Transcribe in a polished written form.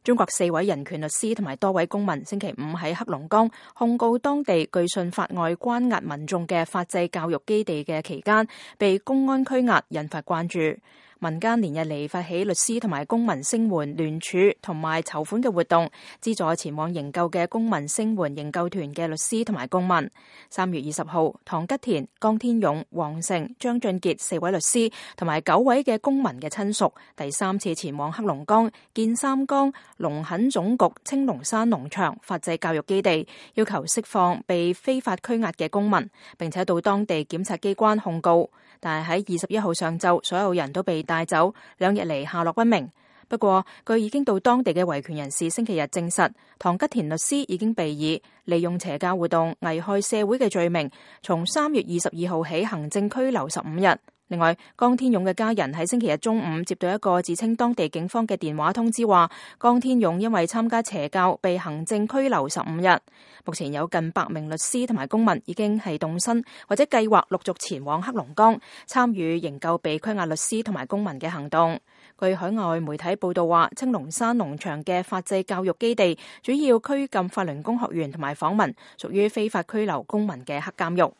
中國4位人權律師同埋多位公民星期五喺黑龍江控告當地據信法外關押民眾嘅法制教育基地嘅期間，被公安拘押，引發關注。民間連日嚟發起律師同埋公民聲援聯署同埋籌款嘅活動，資助前往營救嘅公民聲援營救團嘅律師同埋公民。3月20號，唐吉田、江天勇、黃成、張俊傑4位律師同埋9位嘅公民嘅親屬，第3次前往黑龍江建三江農墾總局青龍山農場法制教育基地，要求釋放被非法拘押嘅公民，並且到當地檢察機關控告。但係喺21號上晝，所有人都被帶走，2日嚟下落不明。不過，據已經到當地嘅維權人士星期日證實，唐吉田律師已經被以利用邪教活動危害社會嘅罪名，從3月22號起行政拘留15日。另外，江天勇嘅家人喺星期日中午接到一個自稱當地警方嘅電話通知，話江天勇因為參加邪教被行政拘留15日。目前有近100名律師同埋公民已經係動身或者計劃陸續前往黑龍江參與營救被拘押律師同埋公民嘅行動。據海外媒體報道話，青龍山農場嘅法制教育基地主要拘禁法輪功學員同埋訪民，屬於非法拘留公民嘅黑監獄。